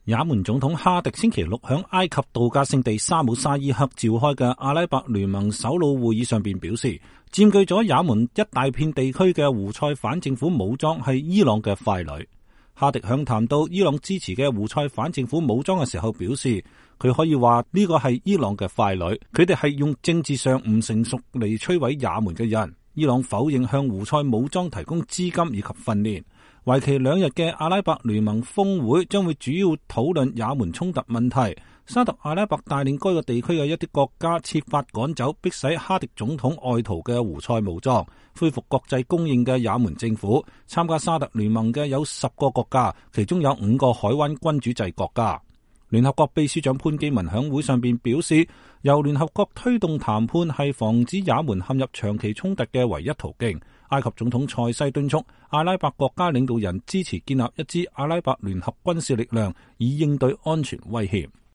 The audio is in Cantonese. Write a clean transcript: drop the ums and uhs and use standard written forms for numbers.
也門總統哈迪星期六響埃及度假勝地沙姆沙伊克召開嘅阿拉伯聯盟首腦會議上邊表示，佔據咗也門一大片地區嘅胡塞反政府武裝係伊朗嘅傀儡。哈迪響談到伊朗支持嘅胡塞反政府武裝嘅時候表示，佢可以話呢個係伊朗嘅傀儡，佢哋係用政治上唔成熟嚟摧毀也門嘅人。伊朗否認向胡塞武裝提供資金以及訓練。為期2日嘅阿拉伯聯盟峰會將會主要討論也門衝突問題。沙特阿拉伯帶領該個地區嘅一啲國家設法趕走迫使哈迪總統外逃嘅胡塞武裝，恢復國際公認嘅也門政府。參加沙特聯盟嘅有10個國家，其中有5個海灣君主制國家。聯合國秘書長潘基文響會上邊表示，由聯合國推動談判係防止也門陷入長期衝突嘅唯一途徑。埃及總統塞西敦促阿拉伯國家領導人支持建立一支阿拉伯聯合軍事力量，以應對安全威脅。